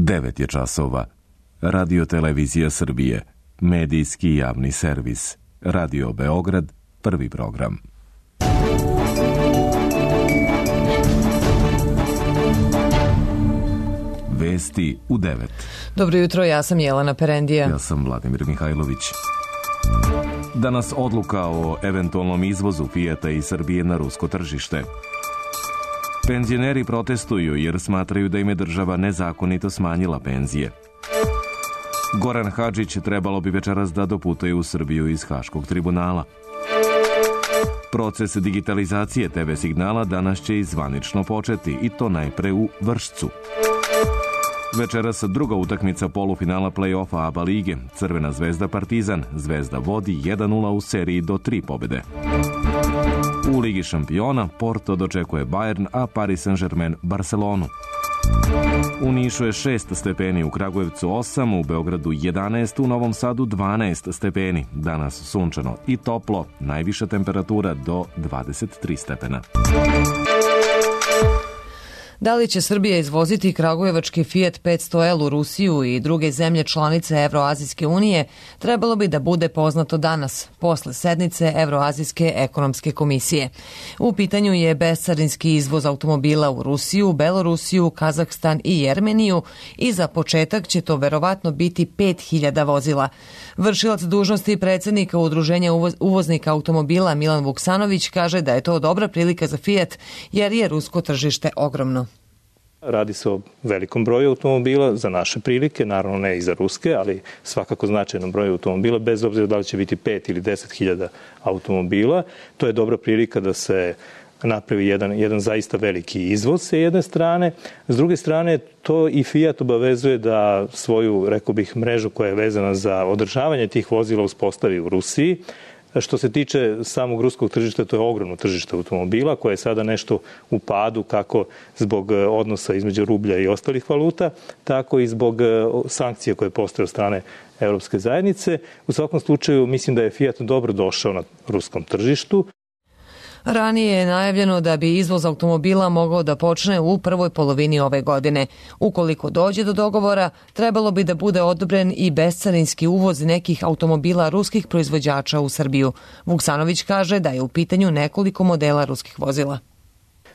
9 je časova. Radio Televizija Srbije, medijski javni servis. Radio Beograd, prvi program. Vesti u 9. Dobro jutro, ja sam Jelena Perendija. Ja sam Vladimir Mihajlović. Danas odluka o eventualnom izvozu Fijata iz Srbije na rusko tržište. Penzioneri protestuju jer smatraju da im je država nezakonito smanjila penzije. Goran Hadžić trebalo bi večeras da doputuje u Srbiju iz Haškog tribunala. Proces digitalizacije TV signala danas će i zvanično početi, i to najpre u Vršcu. Večeras druga utakmica polufinala play-offa ABA lige. Crvena zvezda Partizan. Zvezda vodi 1-0 u seriji do 3 pobjede. U Ligi šampiona Porto dočekuje Bayern, a Paris Saint-Germain Barcelonu. U Nišu je 6 stepeni, u Kragujevcu 8, u Beogradu 11, u Novom Sadu 12 stepeni. Danas sunčano i toplo, najviša temperatura do 23 stepena. Da li će Srbija izvoziti kragujevački Fiat 500L u Rusiju i druge zemlje članice Evroazijske unije, trebalo bi da bude poznato danas, posle sednice Evroazijske ekonomske komisije. U pitanju je bescarinski izvoz automobila u Rusiju, Belorusiju, Kazahstan i Jermeniju i za početak će to verovatno biti 5000 vozila. Vršilac dužnosti predsjednika Udruženja uvoznika automobila Milan Vuksanović kaže da je to dobra prilika za Fiat jer je rusko tržište ogromno. Radi se o velikom broju automobila za naše prilike, naravno ne i za ruske, ali svakako značajnom broju automobila, bez obzira da li će biti 5 ili 10.000 automobila. To je dobra prilika da se napravi jedan zaista veliki izvoz sa jedne strane. S druge strane, to i Fiat obavezuje da svoju, rekao bih, mrežu koja je vezana za održavanje tih vozila uspostavi u Rusiji. Što se tiče samog ruskog tržišta, to je ogromno tržište automobila koje je sada nešto u padu, kako zbog odnosa između rublja i ostalih valuta, tako i zbog sankcija koje postoje od strane Evropske zajednice. U svakom slučaju mislim da je Fiat dobro došao na ruskom tržištu. Ranije je najavljeno da bi izvoz automobila mogao da počne u prvoj polovini ove godine. Ukoliko dođe do dogovora, trebalo bi da bude odobren i bescarinski uvoz nekih automobila ruskih proizvođača u Srbiju. Vuksanović kaže da je u pitanju nekoliko modela ruskih vozila.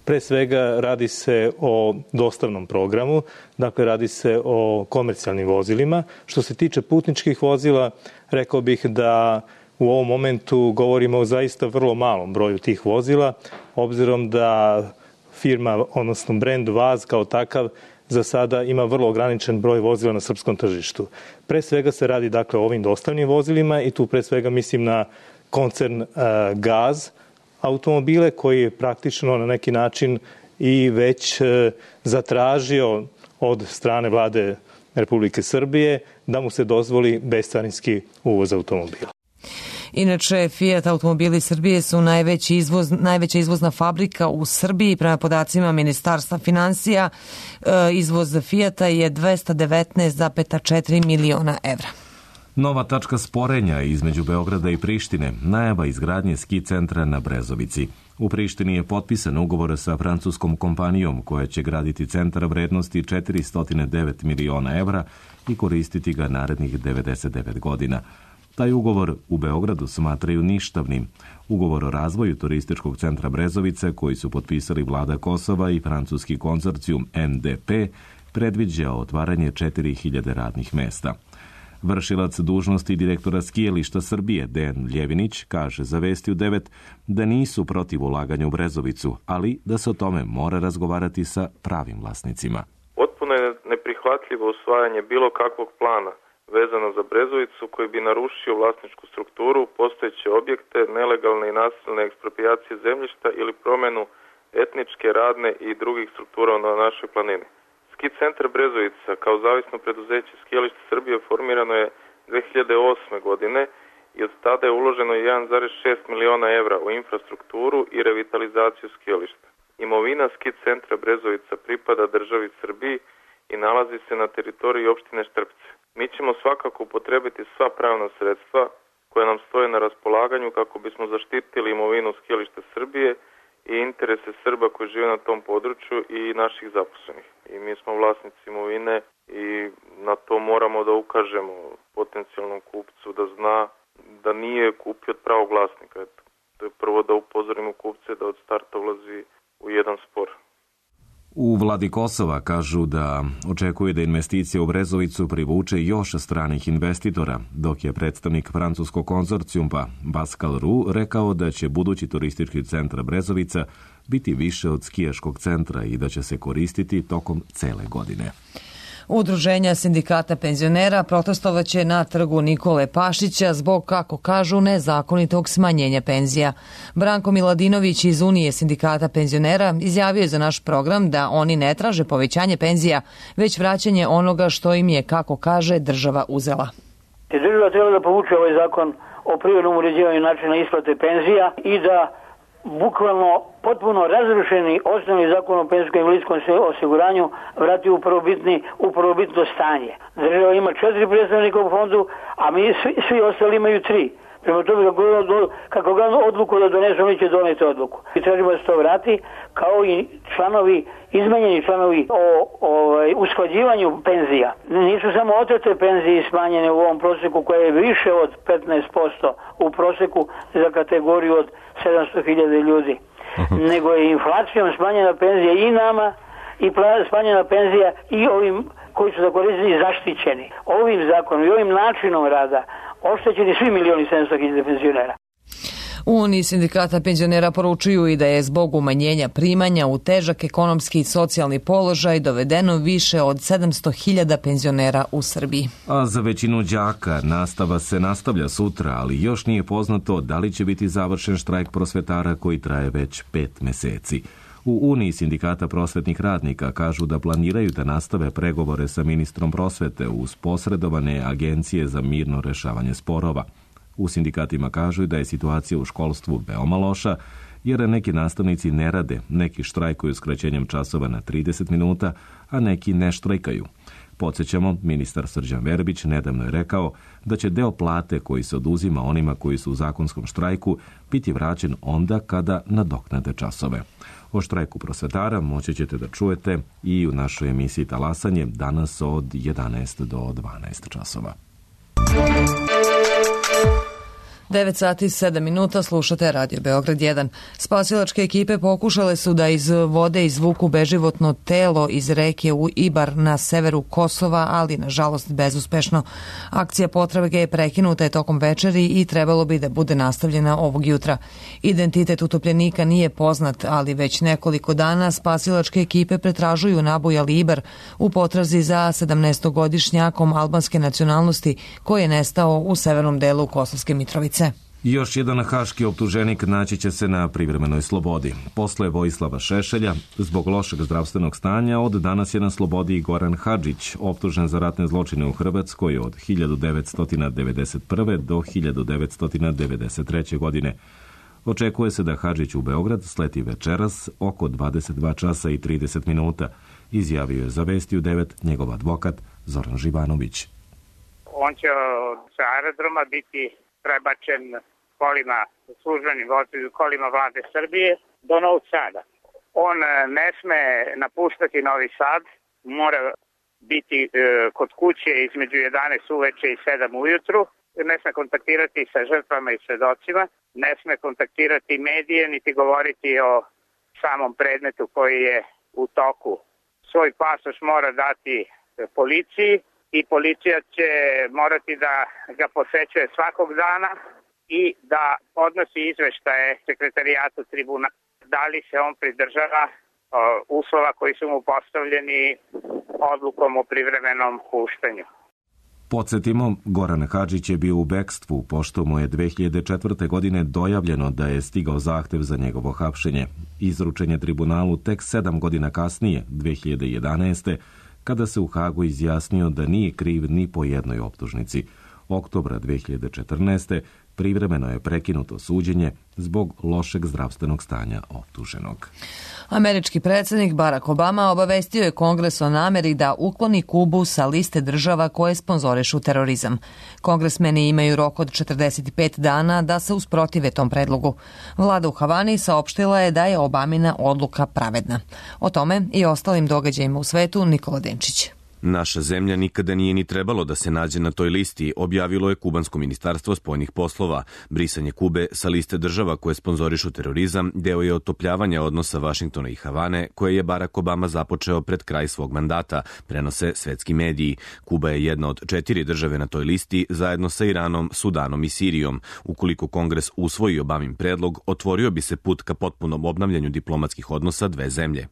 Pre svega radi se o dostavnom programu, dakle radi se o komercijalnim vozilima. Što se tiče putničkih vozila, rekao bih da u ovom momentu govorimo o zaista vrlo malom broju tih vozila, obzirom da firma, odnosno brend Vaz kao takav, za sada ima vrlo ograničen broj vozila na srpskom tržištu. Pre svega se radi dakle o ovim dostavnim vozilima i tu pre svega mislim na koncern Gaz automobile koji je praktično na neki način i već zatražio od strane vlade Republike Srbije da mu se dozvoli bescarinski uvoz automobila. Inače, Fiat automobili Srbije su najveća izvozna fabrika u Srbiji. Prema podacima Ministarstva finansija, izvoz Fiata je 219,4 miliona evra. Nova tačka sporenja između Beograda i Prištine, najava izgradnje ski centra na Brezovici. U Prištini je potpisan ugovor sa francuskom kompanijom koja će graditi centar vrednosti 409 miliona evra i koristiti ga narednih 99 godina. Taj ugovor u Beogradu smatraju ništavnim. Ugovor o razvoju turističkog centra Brezovice, koji su potpisali vlada Kosova i francuski konzorcijum MDP, predviđa otvaranje 4000 radnih mesta. Vršilac dužnosti direktora skijališta Srbije, Dejan Ljevinić, kaže za Vesti u 9 da nisu protiv ulaganja u Brezovicu, ali da se o tome mora razgovarati sa pravim vlasnicima. Potpuno je neprihvatljivo usvajanje bilo kakvog plana vezano za Brezovicu koji bi narušio vlasničku strukturu, postojeće objekte, nelegalne i nasilne eksproprijacije zemljišta ili promjenu etničke, radne i drugih struktura na našoj planini. Ski centar Brezovica kao zavisno preduzeće skijališta Srbije formirano je 2008. godine i od tada je uloženo 1,6 miliona evra u infrastrukturu i revitalizaciju skijališta. Imovina ski centra Brezovica pripada državi Srbiji i nalazi se na teritoriji opštine Štrpce. Mi ćemo svakako upotrebiti sva pravna sredstva koja nam stoje na raspolaganju kako bismo zaštitili imovinu skijališta Srbije i interese Srba koji žive na tom području i naših zaposlenih. I mi smo vlasnici imovine i na to moramo da ukažemo potencijalnom kupcu da zna da nije kupio od pravog vlasnika. To je prvo da upozorimo kupce da od starta ulazi u jedan spor. U vladi Kosova kažu da očekuje da investicija u Brezovicu privuče još stranih investitora, dok je predstavnik francuskog konzorcijuma Pascal Roux rekao da će budući turistički centar Brezovica biti više od skijaškog centra i da će se koristiti tokom cele godine. Udruženja sindikata penzionera protestovaće na trgu Nikole Pašića zbog, kako kažu, nezakonitog smanjenja penzija. Branko Miladinović iz Unije sindikata penzionera izjavio je za naš program da oni ne traže povećanje penzija, već vraćanje onoga što im je, kako kaže, država uzela. Država treba da povuče ovaj zakon o privremenom uređivanju načina isplate penzija i da bukvalno potpuno razrušeni osnovni zakon o penzijskom i invalidskom osiguranju vrati u prvobitno stanje. Država ima 4 predstavnika u fondu, a mi svi ostali imaju 3. Prema tome, kako ga odluku da donesu, oni će doneti odluku. I tražimo da se to vrati, kao i izmenjeni članovi o usklađivanju penzija. Nisu samo otete penzije smanjene u ovom proseku koje je više od 15% u proseku za kategoriju od 700.000 ljudi. Nego je inflacijom smanjena penzija i nama i smanjena penzija i ovim koji su zakoristili zaštićeni. Ovim zakonom i ovim načinom rada oštećeni svi 1.700.000 penzionera. U Uniji sindikata penzionera poručuju i da je zbog umanjenja primanja u težak ekonomski i socijalni položaj dovedeno više od 700.000 penzionera u Srbiji. A za većinu đaka nastava se nastavlja sutra, ali još nije poznato da li će biti završen štrajk prosvetara koji traje već 5 meseci. U Uniji sindikata prosvetnih radnika kažu da planiraju da nastave pregovore sa ministrom prosvete uz posredovane agencije za mirno rešavanje sporova. U sindikatima kažu da je situacija u školstvu veoma loša, jer neki nastavnici ne rade, neki štrajkuju skraćenjem časova na 30 minuta, a neki ne štrajkaju. Podsjećamo, ministar Srđan Verbić nedavno je rekao da će deo plate koji se oduzima onima koji su u zakonskom štrajku biti vraćen onda kada nadoknade časove. O štrajku prosvetara moći ćete da čujete i u našoj emisiji Talasanje danas od 11 do 12 časova. 9 sati i 7 minuta, slušate Radio Beograd 1. Spasilačke ekipe pokušale su da iz vode izvuku beživotno telo iz reke u Ibar na severu Kosova, ali nažalost bezuspešno. Akcija potrage je prekinuta je tokom večeri i trebalo bi da bude nastavljena ovog jutra. Identitet utopljenika nije poznat, ali već nekoliko dana spasilačke ekipe pretražuju nabujali Ibar u potrazi za 17-godišnjakom albanske nacionalnosti koji je nestao u severnom delu Kosovske Mitrovice. Još jedan haški optuženik naći će se na privremenoj slobodi. Posle Vojislava Šešelja, zbog lošeg zdravstvenog stanja, od danas je na slobodi i Goran Hadžić, optužen za ratne zločine u Hrvatskoj od 1991. do 1993. godine. Očekuje se da Hadžić u Beograd sleti večeras oko 22 časa i 30 minuta, izjavio je za Vesti u 9 njegov advokat Zoran Živanović. On će sa aerodroma biti prebačen kolima, službenim kolima vlade Srbije do Novog Sada. On ne sme napuštati Novi Sad, mora biti kod kuće između 11 uveče i 7 ujutru, ne sme kontaktirati sa žrtvama i svedocima, ne sme kontaktirati medije niti govoriti o samom predmetu koji je u toku. Svoj pasoš mora dati policiji i policija će morati da ga posećuje svakog dana i da podnosi izveštaje sekretarijatu tribunala da li se on pridržava uslova koji su mu postavljeni odlukom o privremenom puštanju. Podsjetimo, Goran Hadžić je bio u bekstvu, pošto mu je 2004. godine dojavljeno da je stigao zahtev za njegovo hapšenje. Izručen je tribunalu tek 7 godina kasnije, 2011. kada se u Hagu izjasnio da nije kriv ni po jednoj optužnici. Oktobra 2014. privremeno je prekinuto suđenje zbog lošeg zdravstvenog stanja optuženog. Američki predsjednik Barack Obama obavestio je Kongres o nameri da ukloni Kubu sa liste država koje sponzorišu terorizam. Kongresmeni imaju rok od 45 dana da se usprotive tom predlogu. Vlada u Havani saopštila je da je Obamina odluka pravedna. O tome i ostalim događajima u svetu Nikola Denčić. Naša zemlja nikada nije ni trebalo da se nađe na toj listi, objavilo je Kubansko ministarstvo spoljnih poslova. Brisanje Kube sa liste država koje sponzorišu terorizam deo je otopljavanja odnosa Vašingtona i Havane, koje je Barack Obama započeo pred kraj svog mandata, prenose svetski mediji. Kuba je jedna od 4 države na toj listi, zajedno sa Iranom, Sudanom i Sirijom. Ukoliko Kongres usvoji Obamin predlog, otvorio bi se put ka potpunom obnavljanju diplomatskih odnosa dve zemlje.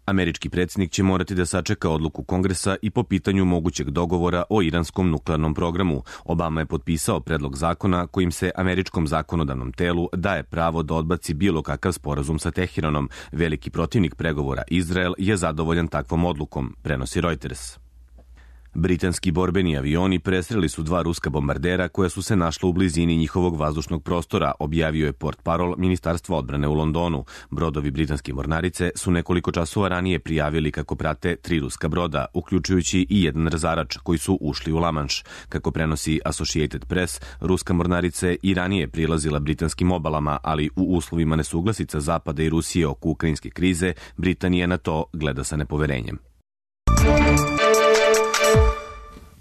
Američki predsjednik će morati da sačeka odluku Kongresa i po pitanju mogućeg dogovora o iranskom nuklearnom programu. Obama je potpisao predlog zakona kojim se američkom zakonodavnom telu daje pravo da odbaci bilo kakav sporazum sa Teheranom. Veliki protivnik pregovora Izrael je zadovoljan takvom odlukom, prenosi Reuters. Britanski borbeni avioni presreli su 2 ruska bombardera koja su se našla u blizini njihovog vazdušnog prostora, objavio je portparol Ministarstva odbrane u Londonu. Brodovi britanske mornarice su nekoliko časova ranije prijavili kako prate 3 ruska broda, uključujući i jedan razarač koji su ušli u Lamanš. Kako prenosi Associated Press, ruska mornarica je i ranije prilazila britanskim obalama, ali u uslovima nesuglasica Zapada i Rusije oko ukrajinske krize, Britanija na to gleda sa nepoverenjem.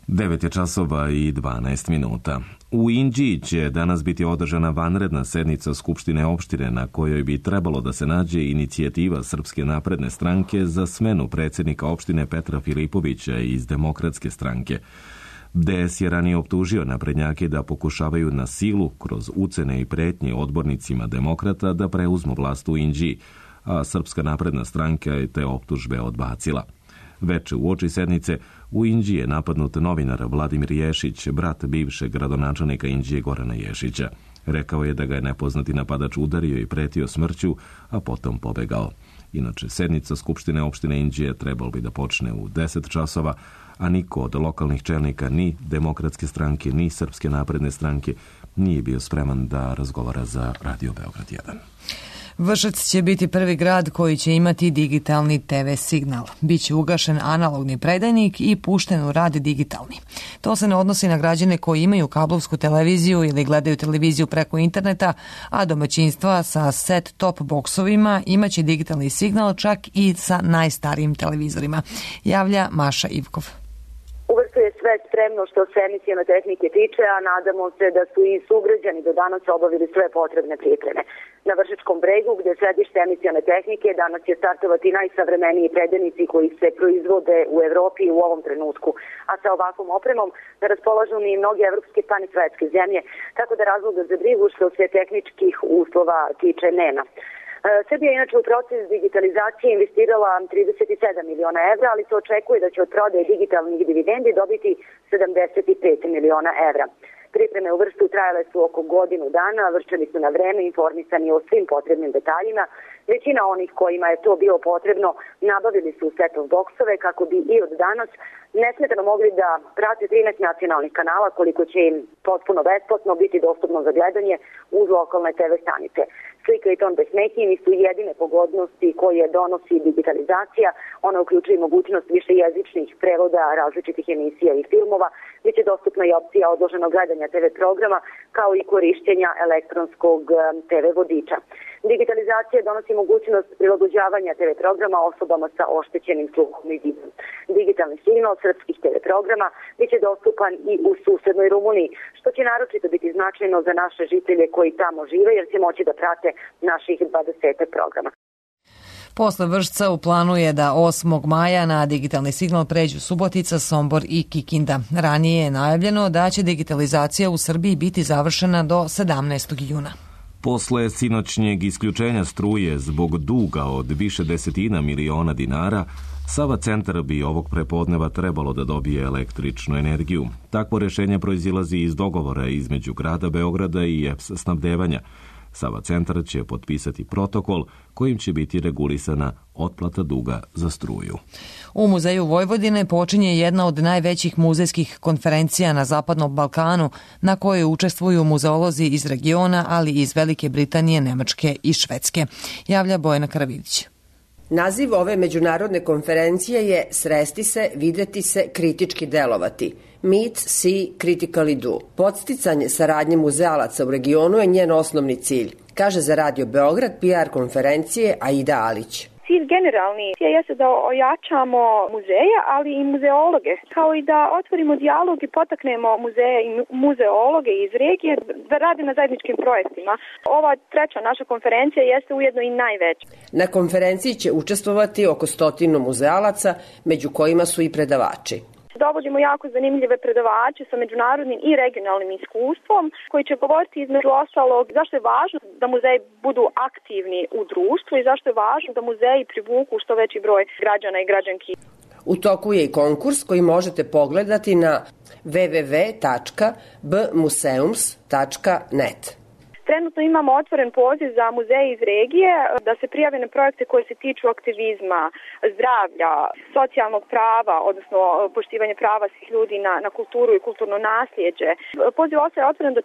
9 je časova i 12 minuta. U Inđiji će danas biti održana vanredna sednica Skupštine opštine na kojoj bi trebalo da se nađe inicijativa Srpske napredne stranke za smenu predsjednika opštine Petra Filipovića iz Demokratske stranke. DS je ranije optužio naprednjake da pokušavaju na silu kroz ucene i pretnje odbornicima demokrata da preuzmu vlast u Inđiji, a Srpska napredna stranka je te optužbe odbacila. Veče uoči sednice u Inđiji je napadnut novinar Vladimir Ješić, brat bivšeg gradonačelnika Inđije Gorana Ješića. Rekao je da ga je nepoznati napadač udario i pretio smrću, a potom pobegao. Inače, sednica Skupštine opštine Inđije trebalo bi da počne u 10 časova, a niko od lokalnih čelnika ni Demokratske stranke, ni Srpske napredne stranke nije bio spreman da razgovara za Radio Beograd 1. Vršac će biti prvi grad koji će imati digitalni TV signal. Biće ugašen analogni predajnik i pušten u rad digitalni. To se ne odnosi na građane koji imaju kablovsku televiziju ili gledaju televiziju preko interneta, a domaćinstva sa set-top boksovima imaće digitalni signal čak i sa najstarijim televizorima. Javlja Maša Ivkov. Uvrsto je sve spremno što se emisione tehnike tiče, a nadamo se da su i sugrađani do danas obavili sve potrebne pripreme. Na Vršačkom bregu, gde sedište emisione tehnike, danas će startovati najsavremeniji predajnici koji se proizvode u Evropi u ovom trenutku. A sa ovakvom opremom raspolažu ni mnoge evropske pa ni svetske zemlje, tako da razloga za brigu što se tehničkih uslova tiče nema. Srbija je inače u proces digitalizacije investirala 37 miliona evra, ali se očekuje da će od prodaje digitalnih dividendi dobiti 75 miliona evra. Pripreme u Vršcu trajale su oko godinu dana, Vrščani su na vreme informisani o svim potrebnim detaljima. Većina onih kojima je to bilo potrebno nabavili su set-top boksove kako bi i od danas nesmetano mogli da prate 13 nacionalnih kanala, koliko će im potpuno besplatno biti dostupno za gledanje uz lokalne TV stanice. Slika i ton bez smetnji nisu jedine pogodnosti koje donosi digitalizacija. Ona uključuje mogućnost višejezičnih prevoda različitih emisija i filmova, gdje će dostupna i opcija odloženog gledanja TV programa, kao i korišćenja elektronskog TV vodiča. Digitalizacija donosi mogućnost prilagođavanja TV programa osobama sa oštećenim sluhom i vidom. Digitalni signal srpskih TV programa biće dostupan i u susednoj Rumuniji, što će naročito biti značajno za naše žitelje koji tamo žive, jer će moći da prate naših 20 programa. Posle Vršca u planu je da 8. maja na digitalni signal pređu Subotica, Sombor i Kikinda. Ranije je najavljeno da će digitalizacija u Srbiji biti završena do 17. juna. Posle sinoćnjeg isključenja struje zbog duga od više desetina miliona dinara, Sava centar bi ovog prepodneva trebalo da dobije električnu energiju. Takvo rešenje proizilazi iz dogovora između grada Beograda i EPS snabdevanja. Sava centar će potpisati protokol kojim će biti regulisana otplata duga za struju. U Muzeju Vojvodine počinje jedna od najvećih muzejskih konferencija na Zapadnom Balkanu, na kojoj učestvuju muzeolozi iz regiona, ali i iz Velike Britanije, Nemačke i Švedske. Javlja Bojana Karavidić. Naziv ove međunarodne konferencije je Sresti se, videti se, kritički delovati. Meet, see, critically do. Podsticanje saradnje muzealaca u regionu je njen osnovni cilj, kaže za Radio Beograd PR konferencije Aida Alić. Cilj generalni jeste da ojačamo muzeje, ali i muzeologe, kao i da otvorimo dijalog i potaknemo muzeje i muzeologe iz regije da rade na zajedničkim projektima. Ova treća naša konferencija jeste ujedno i najveća. Na konferenciji će učestvovati oko 100 muzealaca, među kojima su i predavači. Dovodimo jako zanimljive predavače sa međunarodnim i regionalnim iskustvom koji će govoriti između ostalog zašto je važno da muzeji budu aktivni u društvu i zašto je važno da muzeji privuku što veći broj građana i građanki. U toku je i konkurs koji možete pogledati na www.bmuseums.net. Trenutno imamo otvoren poziv za muzeje iz regije da se prijave na projekte koje se tiču aktivizma, zdravlja, socijalnog prava, odnosno poštivanje prava svih ljudi na kulturu i kulturno nasljeđe. Poziv ostaje otvoren do 4.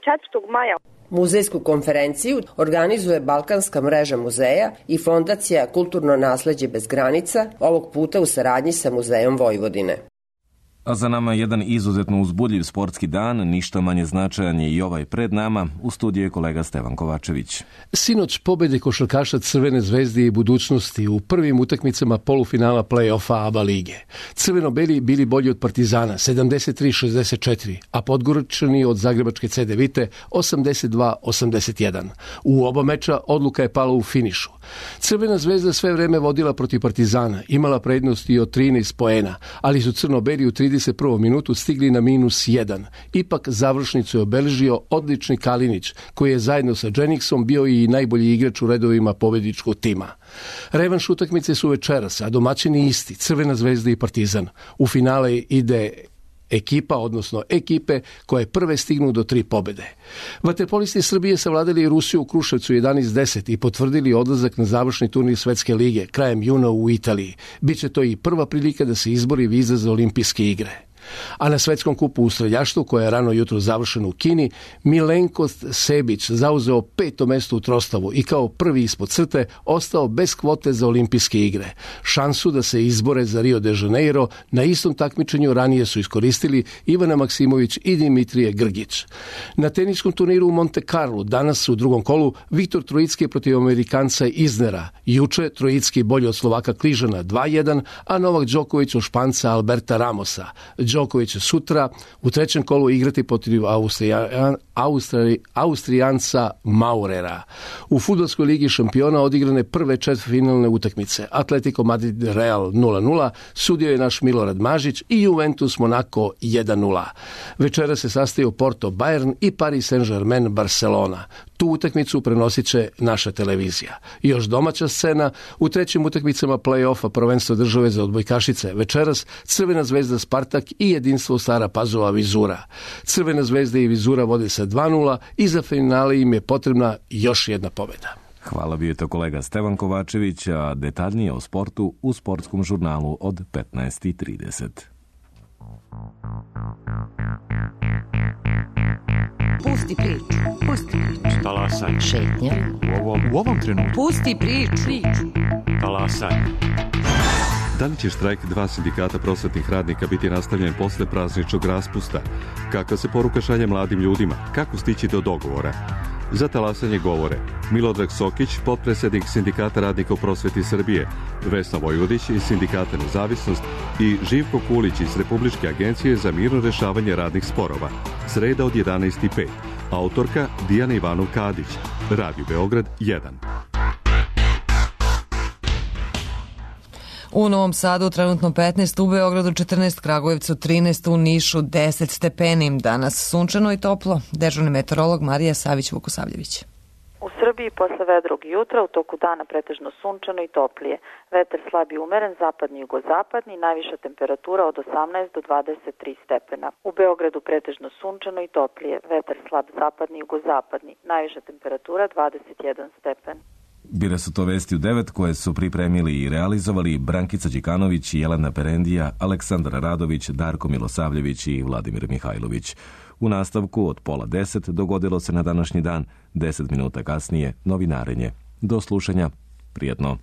maja. Muzejsku konferenciju organizuje Balkanska mreža muzeja i Fondacija Kulturno nasleđe bez granica, ovog puta u saradnji sa Muzejom Vojvodine. A za nama jedan izuzetno uzbudljiv sportski dan, ništa manje značajan je i ovaj pred nama. U studiju je kolega Stevan Kovačević. Sinoć pobede košarkaša Crvene zvezde i budućnosti u prvim utakmicama polufinala play-offa ABA lige. Crveno-beli bili bolji od Partizana 73-64, a Podgoričani od Zagrebačke CD Vite 82-81. U oba meča odluka je pala u finišu. Crvena zvezda sve vreme vodila protiv Partizana, imala prednost i od 13 poena, ali su crno-beli u 31. minutu stigli na -1. Ipak završnicu je obeležio odlični Kalinić, koji je zajedno sa Dženiksom bio i najbolji igrač u redovima pobedničkog tima. Revanš utakmice su večeras, a domaćini isti, Crvena zvezda i Partizan. U finale ide ekipa, odnosno ekipe koje prve stignu do 3 pobede. Vaterpolisti Srbije savladali Rusiju u Kruševcu 11-10 i potvrdili odlazak na završni turnir Svetske lige krajem juna u Italiji. Biće to i prva prilika da se izbori viza za olimpijske igre. A na svetskom kupu u streljaštvu, koje je rano jutro završeno u Kini, Milenko Sebić zauzeo 5. mesto u trostavu i kao prvi ispod crte ostao bez kvote za olimpijske igre. Šansu da se izbore za Rio de Janeiro na istom takmičenju ranije su iskoristili Ivana Maksimović i Dimitrije Grgić. Na teniskom turniru u Monte Carlo danas u drugom kolu Viktor Trojicki protiv Amerikanca Iznera. Juče Trojicki bolji od Slovaka Kližana 2-1, a Novak Đoković od Španca Alberta Ramosa. Đoković će sutra u trećem kolu igrati protiv Austrijanca Maurera. U fudbalskoj ligi šampiona odigrane prve četvrtfinalne utakmice. Atletico Madrid Real 0-0, sudio je naš Milorad Mažić i Juventus Monaco 1-0. Večera se sastaju Porto Bayern i Paris Saint-Germain Barcelona. Tu utakmicu prenosit će naša televizija. I još domaća scena, u trećim utakmicama play-offa prvenstva države za odbojkašice. Večeras Crvena zvezda Spartak i Jedinstvo Stara Pazova Vizura. Crvena zvezda i Vizura vode sa 2-0 i za finale im je potrebna još jedna pobjeda. Hvala, bio je to kolega Stevan Kovačević, a detaljnije o sportu u sportskom žurnalu od 15:30. Pusti priču. Pusti priču. Talasaj. Šetnja. U ovom trenutku. Pusti priču. Talasaj. Da li će štrajk 2 sindikata prosvetnih radnika biti nastavljen posle prazničnog raspusta? Kakva se poruka šalje mladim ljudima? Kako stići do dogovora? Za talasanje govore Milodrag Sokić, potpredsjednik Sindikata radnika u prosveti Srbije, Vesna Vojvodić iz Sindikata Nezavisnost i Živko Kulić iz Republičke agencije za mirno rešavanje radnih sporova. Sreda od 11:05. Autorka Dijana Ivanov Kadić. Radio Beograd 1. U Novom Sadu trenutno 15, u Beogradu 14, Kragujevcu 13, u Nišu 10 stepeni. Danas sunčano i toplo. Dežurni meteorolog Marija Savić-Vukosavljević. U Srbiji, posle vedrog jutra, u toku dana pretežno sunčano i toplije. Vetar slab i umeren, zapadni i jugozapadni, najviša temperatura od 18 do 23 stepena. U Beogradu pretežno sunčano i toplije, vetar slab zapadni i jugozapadni, najviša temperatura 21 stepen. Bile su to vesti u 9 koje su pripremili i realizovali Brankica Đikanović, Jelena Perendija, Aleksandar Radović, Darko Milosavljević i Vladimir Mihajlović. U nastavku od 9:30 dogodilo se na današnji dan, 10 minuta kasnije novinarenje. Do slušanja, prijetno.